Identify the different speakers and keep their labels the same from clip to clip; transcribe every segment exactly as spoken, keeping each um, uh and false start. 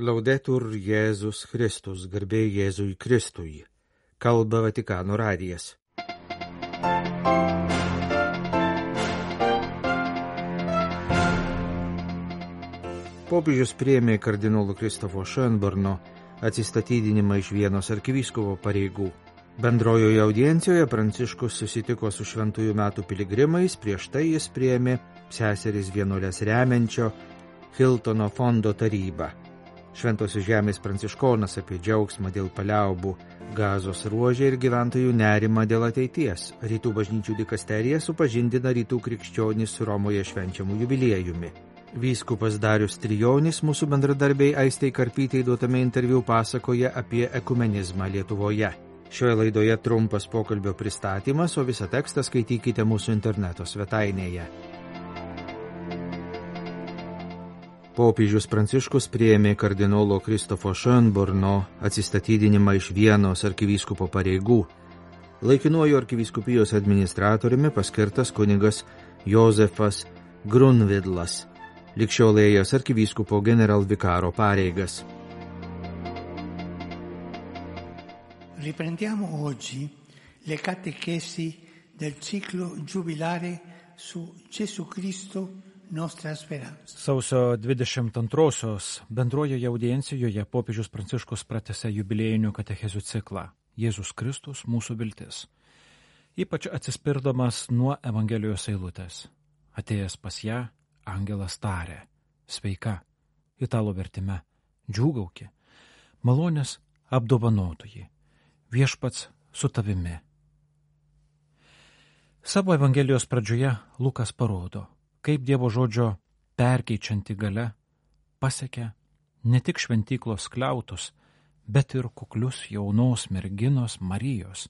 Speaker 1: Laudetur Jėzus Kristus, garbė Jėzui Kristui. Kalba Vatikano radijas. Popiežius priėmė kardinolo Kristofo Schönborno atsistatydinimą iš Vienos arkivyskupo pareigų. Bendrojoje audiencijoje Pranciškus susitiko su šventųjų metų piligrimais, prieš tai jis priėmė seseris vienuolės remiančio Hiltono fondo tarybą. Šventosios žemės pranciškonas apie džiaugsmą dėl paliaubų Gazos ruože ir gyventojų nerimą dėl ateities. Rytų bažnyčių dikasterija supažindina rytų krikščionys su Romoje švenčiamų jubiliejumi. Vyskupas Darius Trijonis mūsų bendradarbiai Aistei Karpytei duotame interviu pasakoja apie ekumenizmą Lietuvoje. Šioje laidoje trumpas pokalbio pristatymas, o visą tekstą skaitykite mūsų interneto svetainėje. Popiežius Pranciškus priėmė kardinolo Kristofo Schönborno atsistatydinimą iš Vienos arkivyskupo pareigų. Laikinuoju arkivyskupijos administratoriumi paskirtas kunigas Jozefas Grunvidlas, ligšiol ėjęs arkivyskupo generalvikaro pareigas.
Speaker 2: Riprendiamo oggi le catechesi del ciclo giubilare su Gesù Cristo.
Speaker 3: Sausio dvidešimt antrosios bendrojoje audiencijoje popiežius Pranciškus pratęsė jubiliejinių katechezių ciklą Jėzus Kristus mūsų viltis, ypač atsispirdamas nuo Evangelijos eilutės. Atėjęs pas ją, angelas tarė: sveika, italų vertime, džiūgauki, malonės apdovanotoji, viešpats su tavimi. Savo Evangelijos pradžioje Lukas parodo, kaip Dievo žodžio perkeičianti galia pasiekia ne tik šventyklos skliautus, bet ir kuklius jaunos merginos Marijos,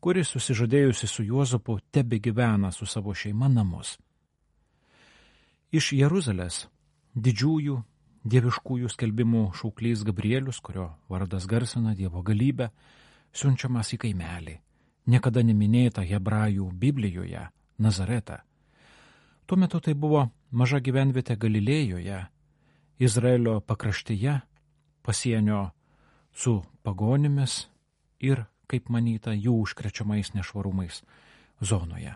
Speaker 3: kuri susižadėjusi su Juozapu tebegyvena su savo šeima namus. Iš Jeruzalės didžiųjų dieviškųjų skelbimų šauklys Gabrielius, kurio vardas garsina Dievo galybę, siunčiamas į kaimelį, niekada neminėtą hebrajų Biblijoje, Nazaretą. Tuo metu tai buvo maža gyvenvietė Galilėjoje, Izraelio pakraštyje, pasienio su pagonimis ir, kaip manyta, jų užkrečiamais nešvarumais zonoje.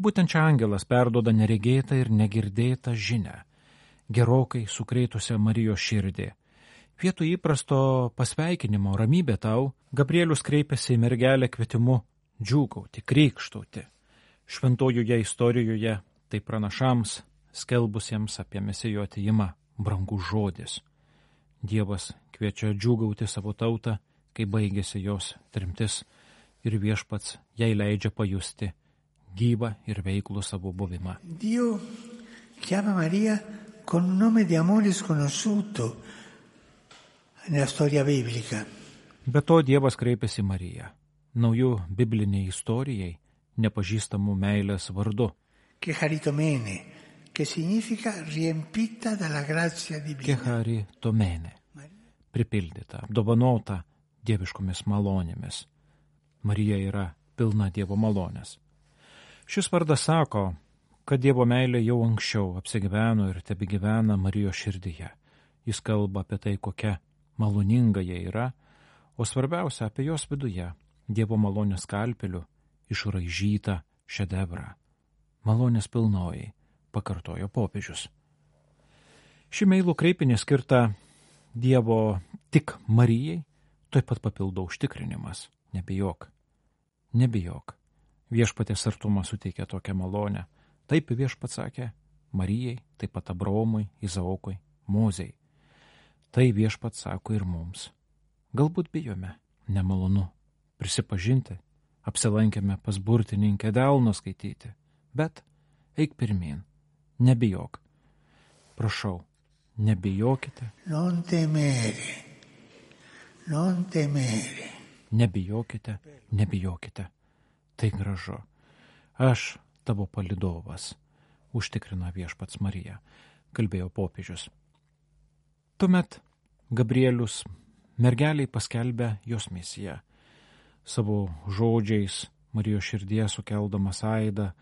Speaker 3: Būtent čia angelas perduoda neregėtą ir negirdėtą žinią, gerokai sukreitusią Marijos širdį. Vietoj įprasto pasveikinimo ramybė tau, Gabrielius kreipėsi į mergelę kvietimu džiūgauti, krykštauti. Šventojoje istorijoje tai pranašams, skelbusiems apie Mesijo atėjimą, brangus žodis. Dievas kviečia džiūgauti savo tautą, kai baigėsi jos tremtis, ir viešpats jai leidžia pajusti gyvą ir veiklų savo buvimą.
Speaker 2: Dio chiama Maria con un nome di amore sconosciuto nella storia biblica.
Speaker 3: Be to Dievas kreipiasi į Mariją, naujų bibliniai istorijai nepažįstamų meilės vardu.
Speaker 2: Che charitomene, che significa riempita dalla grazia divina.
Speaker 3: Che charitomene, pripildyta, apdovanota dieviškomis malonėmis. Marija yra pilna Dievo malonės. Šis vardas sako, kad Dievo meilė jau anksčiau apsigyveno ir tebegyvena Marijos širdyje. Jis kalba apie tai, kokia maloninga jie yra, o svarbiausia apie jos viduje, Dievo malonės skalpeliu išraižytą šedevrą. Malonės pilnoji, pakartojo popiežius. Ši meilų kreipinė skirta Dievo tik Marijai, taip pat papildo užtikrinimas. Nebijok, nebijok. Viešpatės artumas suteikia tokią malonę. Taip viešpats sakė Marijai, taip pat Abraomui, Izaokui, Mozei. Tai viešpats sako ir mums. Galbūt bijome, nemalonu prisipažinti, apsilankėme pas burtininkę delno skaityti. Bet eik pirmin, nebijok. Prašau, nebijokite.
Speaker 2: Non temere, non temere.
Speaker 3: Nebijokite, nebijokite. Tai gražu. Aš tavo palydovas, užtikrina viešpats Marija, kalbėjo popiežius. Tuomet Gabrielius mergeliai paskelbė jos misiją. Savo žodžiais Marijos širdyje sukeldamas aidą,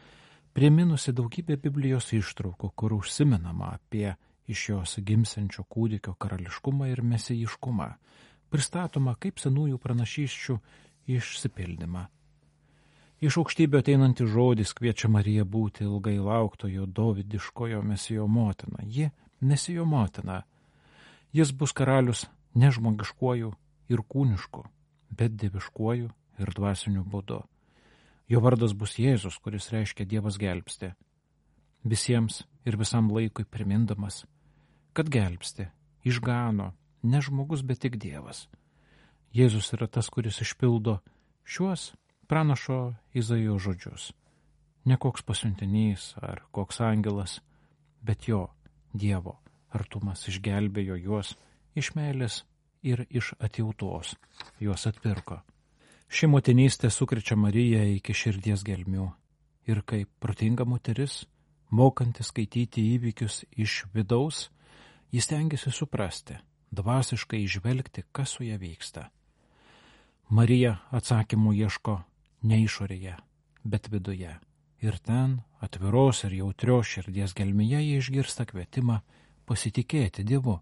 Speaker 3: priminusi daugybę Biblijos ištraukų, kur užsimenama apie iš jos gimsiančio kūdikio karališkumą ir mesijiškumą, pristatoma kaip senųjų pranašysčių išsipildymą. Iš aukštybių ateinantis žodis kviečia Mariją būti ilgai lauktojo dovydiškojo mesijo motina. Ji mesijo motina. Jis bus karalius ne žmogiškuoju ir kūnišku, bet dieviškuoju ir dvasiniu būdu. Jo vardas bus Jėzus, kuris reiškia Dievas gelbsti. Visiems ir visam laikui primindamas, kad gelbsti, išgano ne žmogus, bet tik Dievas. Jėzus yra tas, kuris išpildo šiuos pranašo Izaijo žodžius. Ne koks pasiuntinys ar koks angelas, bet jo, Dievo artumas išgelbėjo juos iš meilės ir iš atjautos. Juos atpirko. Ši motinystė sukrečia Mariją iki širdies gelmių ir kaip protinga moteris, mokanti skaityti įvykius iš vidaus, jis stengiasi suprasti, dvasiškai įžvelgti, kas su ja vyksta. Marija atsakymų ieško ne išorėje, bet viduje. Ir ten, atviros ir jautrios širdies gelmėje, jie išgirsta kvietimą pasitikėti Dievu.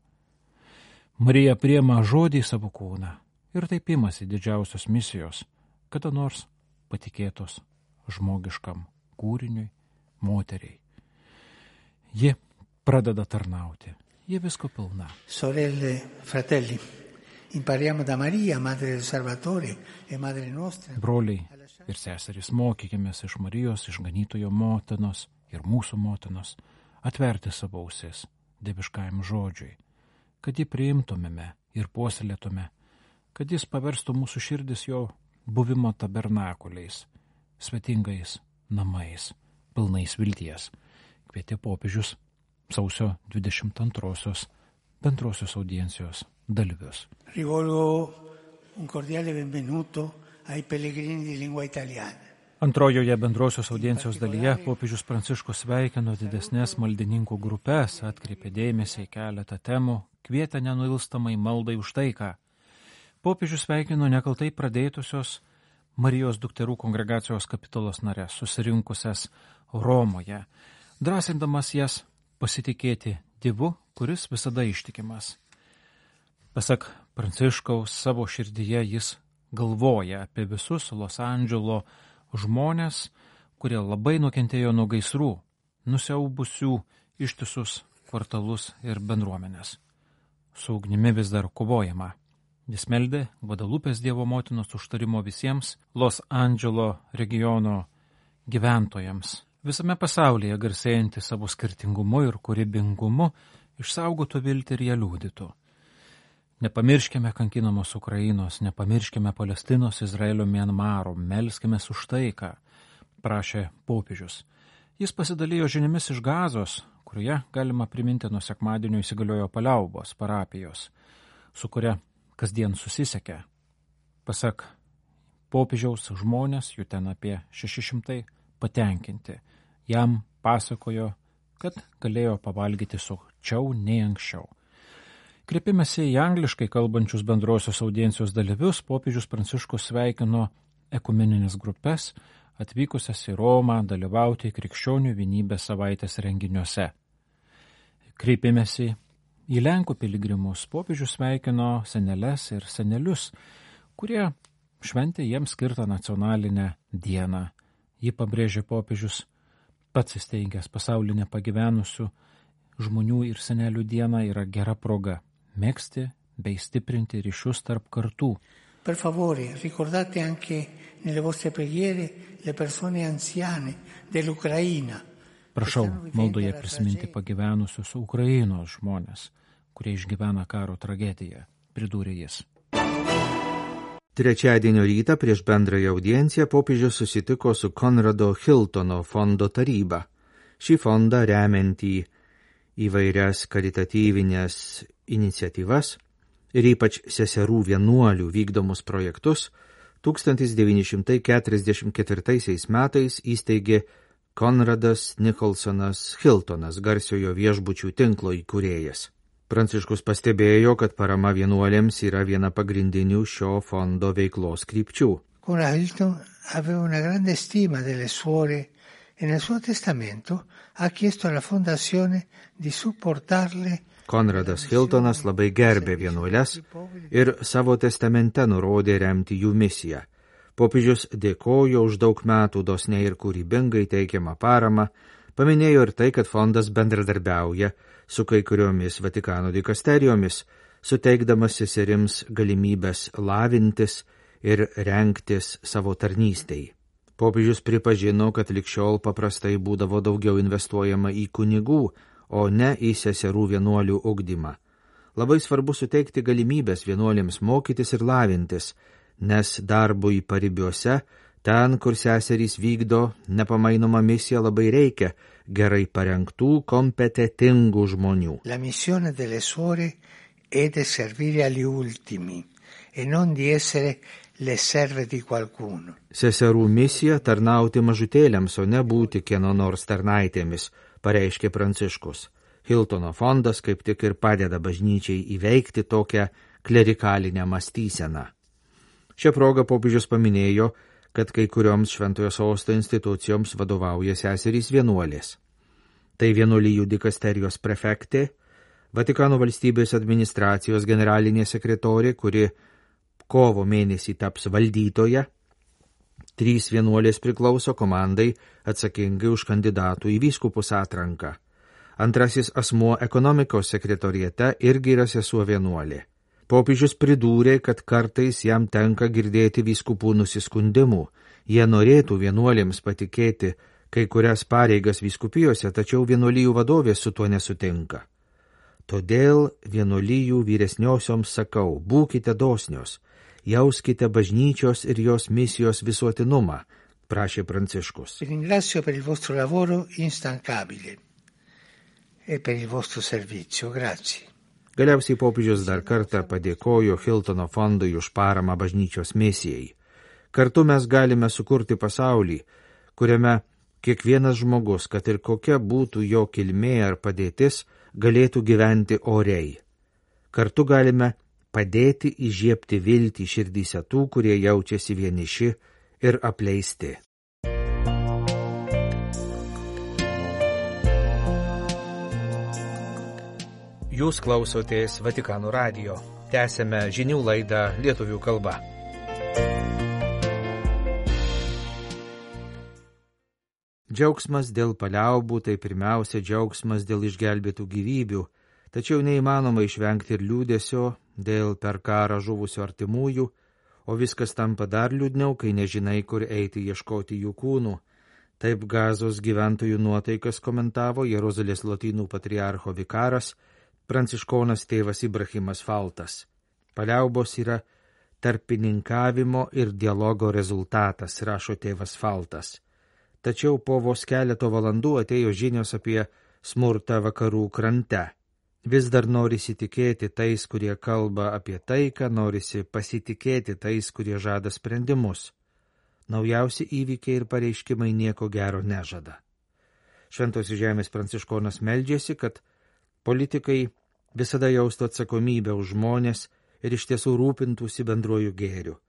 Speaker 3: Marija priima žodį į savo kūną ir taip imasi didžiausios misijos, kada nors patikėtos žmogiškam kūriniui, moteriai. Ji pradeda tarnauti, ji visko pilna.
Speaker 2: Sorelle, fratelli, impariamo da Maria, madre del Salvatore e madre nostra.
Speaker 3: Broliai ir seserys, mokykimės iš Marijos, išganytojo motinos ir mūsų motinos, atverti savo ausis dieviškajam žodžiui, kad jį priimtumėme ir puoselėtume, kad jis paverstų mūsų širdis jo buvimo tabernakuliais, svetingais namais, pilnais vilties, kvietė popiežius sausio dvidešimt antrosios bendrosios audiencijos dalyvius.
Speaker 2: Rivolgo un cordiale benvenuto ai pellegrini di lingua italiana.
Speaker 3: Antrojoje bendrosios audiencijos dalyje popiežius Pranciškus sveikino didesnės maldininkų grupės, atkreipė dėmesį į keletą temų, kvietė nenuilstamai maldai už taiką. Popiežius sveikino nekaltai pradėtusios Marijos dukterų kongregacijos kapitulos narės, susirinkusias Romoje, drąsindamas jas pasitikėti Dievu, kuris visada ištikimas. Pasak Pranciškaus, savo širdyje jis galvoja apie visus Los Andželo žmonės, kurie labai nukentėjo nuo gaisrų, nusiaubusių ištisus kvartalus ir bendruomenės. Su ugnimi vis dar kovojama. Jis meldė Gvadalupės Dievo motinos užtarimo visiems Los Andželo regiono gyventojams. Visame pasaulyje garsėjanti savo skirtingumu ir kūrybingumu išsaugotų viltį ir ją liudytų. Nepamirškime kankinamos Ukrainos, nepamirškime Palestinos, Izraelio, Mianmaro, melskimės už taiką, prašė popiežius. Jis pasidalijo žiniomis iš Gazos, kurioje galima priminti nuo sekmadienio įsigaliojo paliaubos parapijos, su kuria kasdien susisiekia. Pasak popiežiaus, žmonės, jų ten apie šeši šimtai, patenkinti. Jam pasakojo, kad galėjo pavalgyti sočiau nei anksčiau. Kreipimėsi į angliškai kalbančius bendrosios audiencijos dalyvius, popiežius Pranciškus sveikino ekumeninės grupės, atvykusias į Romą dalyvauti krikščionių vienybės savaitės renginiuose. Kreipimėsi į Lenkų piligrimus, popiežius sveikino seneles ir senelius, kurie šventė jiems skirtą nacionalinę dieną. Ji pabrėžė popiežius, pats įsteigęs pasaulinę pagyvenusių žmonių ir senelių dieną yra gera proga megzti bei stiprinti ryšius tarp kartų.
Speaker 2: Per favore, ricordate anche nelle vostre preghiere le persone anziane dell'Ucraina.
Speaker 3: Prašau maldoje prisiminti pagyvenusius Ukrainos žmonės, kurie išgyvena karo tragediją, pridūrė jis.
Speaker 1: Trečiadienio rytą prieš bendrąją audienciją popiežius susitiko su Konrado Hiltono fondo taryba. Šį fondą remiantį įvairias karitatyvinės iniciatyvas ir ypač seserų vienuolių vykdomus projektus tūkstantis devyni šimtai keturiasdešimt ketvirtaisiais metais įsteigė Konradas Nicholsonas Hiltonas, garsiojo viešbučių tinklo įkūrėjas. Pranciškus pastebėjo, kad parama vienuolėms yra viena pagrindinių šio fondo veiklos krypčių.
Speaker 2: Konrad Hilton aveva una grande stima delle suore e nel suo testamento ha chiesto alla fondazione di supportarle.
Speaker 1: Konradas Hiltonas labai gerbė vienuoles ir savo testamente nurodė remti jų misiją. Popiežius dėkojo už daug metų dosniai ir kūrybingai teikiamą paramą, paminėjo ir tai, kad fondas bendradarbiauja su kai kuriomis Vatikano dikasterijomis, suteikdamas seserims galimybės lavintis ir rengtis savo tarnystei. Popiežius pripažino, kad likščiol paprastai būdavo daugiau investuojama į kunigų, o ne į seserų vienuolių ugdymą. Labai svarbu suteikti galimybės vienuolėms mokytis ir lavintis, nes darbui paribiuose, ten, kur seserys vykdo nepamainomą misiją, labai reikia gerai parengtų, kompetentingų žmonių.
Speaker 2: La missione delle suore è di servire agli ultimi e non di essere le serve di qualcuno.
Speaker 1: Seserų misija tarnauti mažutėliams, o ne būti kieno nors tarnaitėmis, pareiškė Pranciškus. Hiltono fondas kaip tik ir padeda bažnyčiai įveikti tokią klerikalinę mąstyseną. Šią progą popiežius paminėjo, kad kai kurioms Šventojo Sosto institucijoms vadovauja seserys vienuolės. Tai vienuolijų dikasterijos prefektė, Vatikano valstybės administracijos generalinė sekretorė, kuri kovo mėnesį taps valdytoja, trys vienuolės priklauso komandai atsakingai už kandidatų į vyskupus atranką. Antrasis asmuo ekonomikos sekretoriete irgi yra sesuo vienuolė. Popiežius pridūrė, kad kartais jam tenka girdėti vyskupų nusiskundimų. Jie norėtų vienuolėms patikėti kai kurias pareigas vyskupijose, tačiau vienuolijų vadovės su tuo nesutinka. Todėl vienuolijų vyresniosioms sakau, būkite dosnios, jauskite bažnyčios ir jos misijos visuotinumą, prašė Pranciškus.
Speaker 2: Ringrazio per il vostro lavoro instancabile e per il vostro servizio. Grazie.
Speaker 1: Galiausiai popiežius dar kartą padėkojo Hiltono fondui už paramą bažnyčios misijai. Kartu mes galime sukurti pasaulį, kuriame kiekvienas žmogus, kad ir kokia būtų jo kilmė ar padėtis, galėtų gyventi oriai. Kartu galime padėti įžiebti viltį širdyse tų, kurie jaučiasi vieniši ir apleisti. Jūs klausotės Vatikano radijo. Tęsėme žinių laidą lietuvių kalba. Džiaugsmas dėl paliaubų tai pirmiausia džiaugsmas dėl išgelbėtų gyvybių, tačiau neįmanoma išvengti ir liūdesio dėl per karą žuvusių artimųjų, o viskas tampa dar liūdniau, kai nežinai, kur eiti ieškoti jų kūnų. Taip Gazos gyventojų nuotaikas komentavo Jeruzalės lotynų patriarcho vikaras, pranciškonas tėvas Ibrahimas Faltas. Paliaubos yra tarpininkavimo ir dialogo rezultatas, rašo tėvas Faltas. Tačiau po vos keleto valandų atėjo žinios apie smurtą vakarų krante. Vis dar norisi tikėti tais, kurie kalba apie taiką, norisi pasitikėti tais, kurie žada sprendimus. Naujausi įvykiai ir pareiškimai nieko gero nežada. Šventosios žemės pranciškonas meldžiasi, kad politikai visada jaustų atsakomybę už žmonės ir iš tiesų rūpintųsi bendruoju gėriu.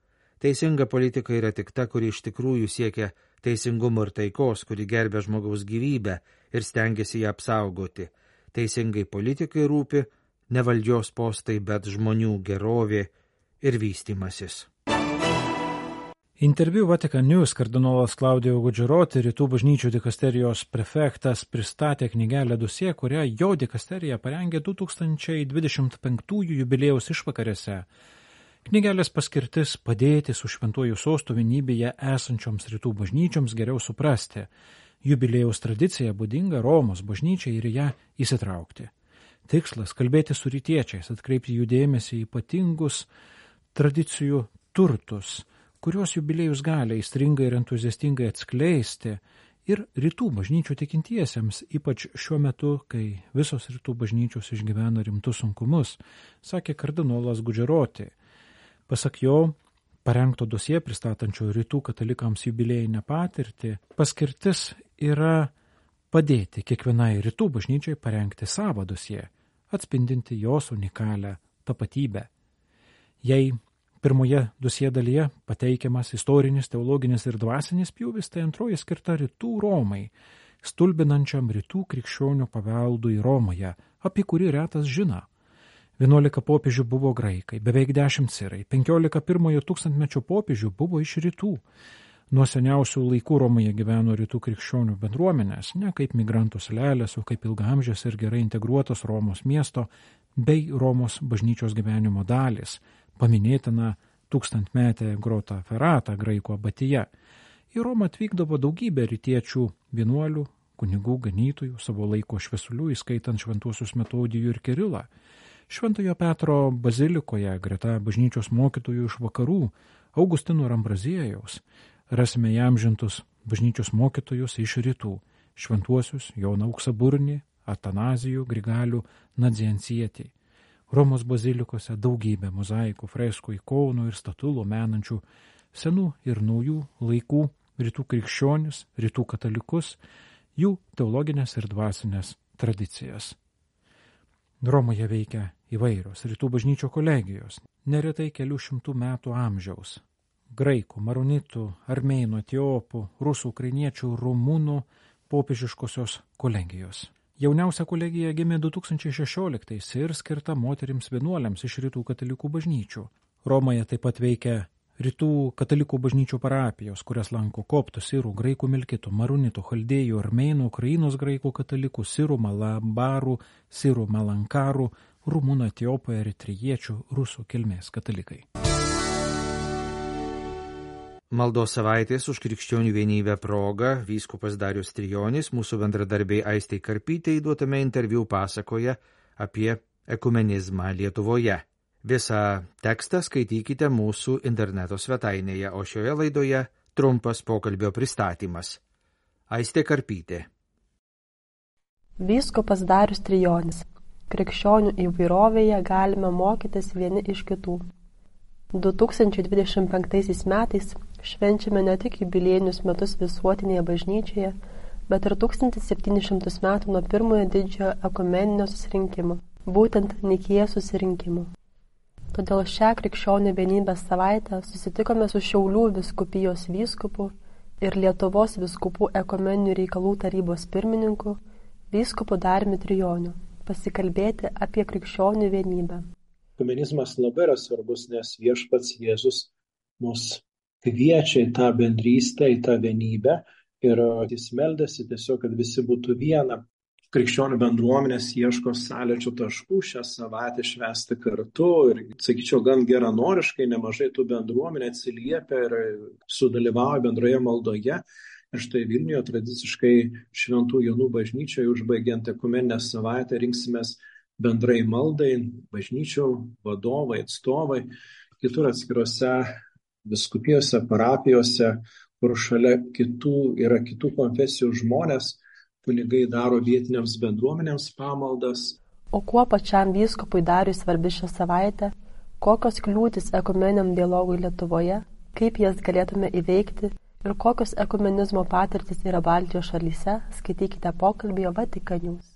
Speaker 1: Teisinga politika yra tik ta, kuri iš tikrųjų siekia teisingumo ir taikos, kuri gerbia žmogaus gyvybę ir stengiasi ją apsaugoti. Teisingai politikai rūpi ne valdžios postai, bet žmonių gerovė ir vystymasis.
Speaker 3: Interviu Vatican News kardinolas Claudio Gugeroti, Rytų bažnyčių dikasterijos prefektas, pristatė knygelę Dosė, kurią jo dikasterija parengė du tūkstančiai dvidešimt penktųjų jubiliejaus išvakarėse. Knygelės paskirtis padėti su šventuoju sostu vienybėje esančioms rytų bažnyčioms geriau suprasti. Jubiliejaus tradicija būdinga Romos bažnyčiai ir ją įsitraukti. Tikslas – kalbėti su rytiečiais, atkreipti jų dėmesį į ypatingus tradicijų turtus, kuriuos jubiliejus gali aistringai ir entuziastingai atskleisti ir rytų bažnyčių tikintiesiems, ypač šiuo metu, kai visos rytų bažnyčios išgyvena rimtus sunkumus, sakė kardinolas Gugeroti. Pasak jo, parengto dosie pristatančio rytų katalikams jubiliejinę patirtį, paskirtis yra padėti kiekvienai rytų bažnyčiai parengti savo dosie, atspindinti jos unikalią tapatybę. Jei Pirmoje dusie dalyje pateikiamas istorinis, teologinis ir dvasinis pjūvis, tai antroji skirta rytų Romai, stulbinančiam rytų krikščionių paveldui Romoje, apie kurį retas žino. Vienuolika popiežių buvo graikai, beveik dešimt sirai, penkiolika pirmojo tūkstantmečio popiežių buvo iš rytų. Nuo seniausių laikų Romoje gyveno rytų krikščionių bendruomenės, ne kaip migrantų salelės, o kaip ilgaamžės ir gerai integruotos Romos miesto bei Romos bažnyčios gyvenimo dalis, paminėtina tūkstantmetė Grota Ferrata graikų abatyje. Į Romą atvykdavo daugybė rytiečių vienuolių, kunigų, ganytojų, savo laiko šviesulių, įskaitant šventuosius Metodijų ir Kirilą. Šventojo Petro bazilikoje, greta bažnyčios mokytojų iš vakarų, Augustino ir Ambraziejaus, rasime įamžintus bažnyčios mokytojus iš rytų, šventuosius Joną Auksaburnį, Atanazijų, Grigalių, Nadziansietį. Romos bazilikose daugybė mozaikų, freskų, ikonų ir statulų menančių senų ir naujų laikų rytų krikščionis, rytų katalikus, jų teologinės ir dvasinės tradicijas. Romoje veikia įvairios rytų bažnyčio kolegijos, neretai kelių šimtų metų amžiaus. Graikų, maronitų, armėnų, etiopų, rusų, ukrainiečių, rumunų popiežiškosios kolegijos. Jauniausia kolegija gimė du tūkstančiai šešioliktais ir skirta moterims vienuoliams iš rytų katalikų bažnyčių. Romoje taip pat veikia rytų katalikų bažnyčių parapijos, kurias lanko koptų, sirų, graikų milkitų, maronitų, chaldėjų, armėnų, Ukrainos graikų katalikų, sirų, malabarų, sirų, malankarų, rumunų, etiopų, eritrejiečių, rusų kilmės katalikai.
Speaker 1: Maldos savaitės už krikščionių vienybę proga vyskupas Darius Trijonis mūsų bendradarbiai Aistei Karpytei duotame interviu pasakoja apie ekumenizmą Lietuvoje. Visą tekstą skaitykite mūsų interneto svetainėje, o šioje laidoje trumpas pokalbio pristatymas. Aistė Karpytė.
Speaker 4: Vyskupas Darius Trijonis. Krikščionių įvairovėje galime mokytis vieni iš kitų. du tūkstančiai dvidešimt penktaisiais metais švenčiame ne tik jubiliejinius metus visuotinėje bažnyčioje, bet ir tūkstantis septynis šimtus metų nuo pirmojo didžiojo ekumeninio susirinkimo, būtent Nikėjos susirinkimo. Todėl šią krikščionių vienybės savaitę susitikome su Šiaulių vyskupijos vyskupu ir Lietuvos vyskupų ekumeninių reikalų tarybos pirmininku, vyskupu Dariumi Trijoniu, pasikalbėti apie krikščionių vienybę.
Speaker 5: Ekumenizmas labai yra svarbus, nes viešpats Jėzus mus kviečia į tą bendrystę, į tą vienybę ir jis meldėsi tiesiog, kad visi būtų viena. Krikščionių bendruomenės ieško sąlyčio taškų šią savaitę švęsti kartu ir, sakyčiau, gan geranoriškai nemažai tų bendruomenė atsiliepia ir sudalyvauja bendroje maldoje. Ir štai Vilniuje tradiciškai Šventų Jonų bažnyčioje užbaigiant ekumeninę savaitę rinksimės bendrai maldai, bažnyčių vadovai, atstovai, kitur atskirose vyskupijose, parapijose, kur šalia kitų yra kitų konfesijų žmonės, kunigai daro vietiniams bendruomenėms pamaldas.
Speaker 4: O kuo pačiam vyskupui Dariui svarbi šią savaitę, kokios kliūtis ekumeniniam dialogui Lietuvoje, kaip jas galėtume įveikti ir kokios ekumenizmo patirtis yra Baltijos šalyse, skaitykite pokalbį Vatikan News.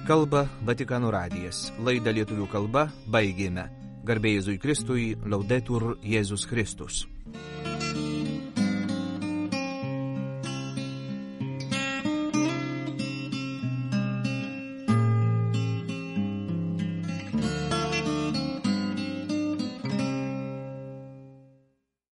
Speaker 1: Kalba Vatikano radijas. Laidą lietuvių kalba baigėme. Garbė Jėzui Kristui, Laudetur Jėzus Kristus.